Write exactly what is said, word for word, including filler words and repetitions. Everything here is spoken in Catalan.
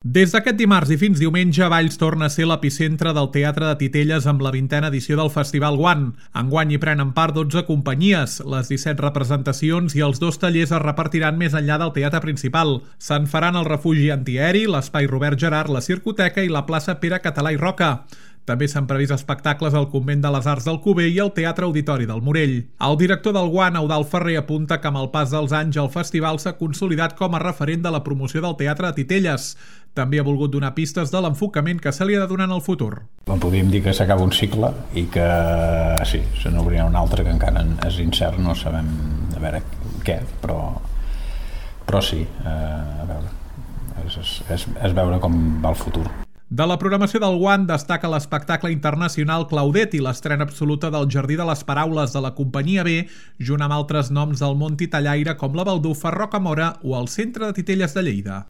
Des d'aquest dimarts i fins diumenge, Valls torna a ser l'epicentre del Teatre de Titelles amb la vintena edició del Festival Guant. Enguany hi prenen part dotze companyies, les disset representacions i els dos tallers es repartiran més enllà del teatre principal. Se'n faran el refugi antiaeri, l'espai Robert Gerard, la Circoteca i la plaça Pere Català i Roca. També s'han previst espectacles al Convent de les Arts d'Alcover i al Teatre Auditori del Morell. El director del Guant, Eudald Ferrer, apunta que amb el pas dels anys el festival s'ha consolidat com a referent de la promoció del teatre de Titelles. També ha volgut donar pistes de l'enfocament que se li ha de donar en el futur. Podríem dir que s'acaba un cicle i que sí, se n'obrirà un altre que encara és incert, no sabem a veure què, però, però sí, eh, a veure, és, és, és veure com va el futur. De la programació del Guant destaca l'espectacle internacional Claudet i l'estrena absoluta del Jardí de les Paraules de la Companyia B, junt amb altres noms del món titellaire com la Baldufa, Rocamora o el Centre de Titelles de Lleida.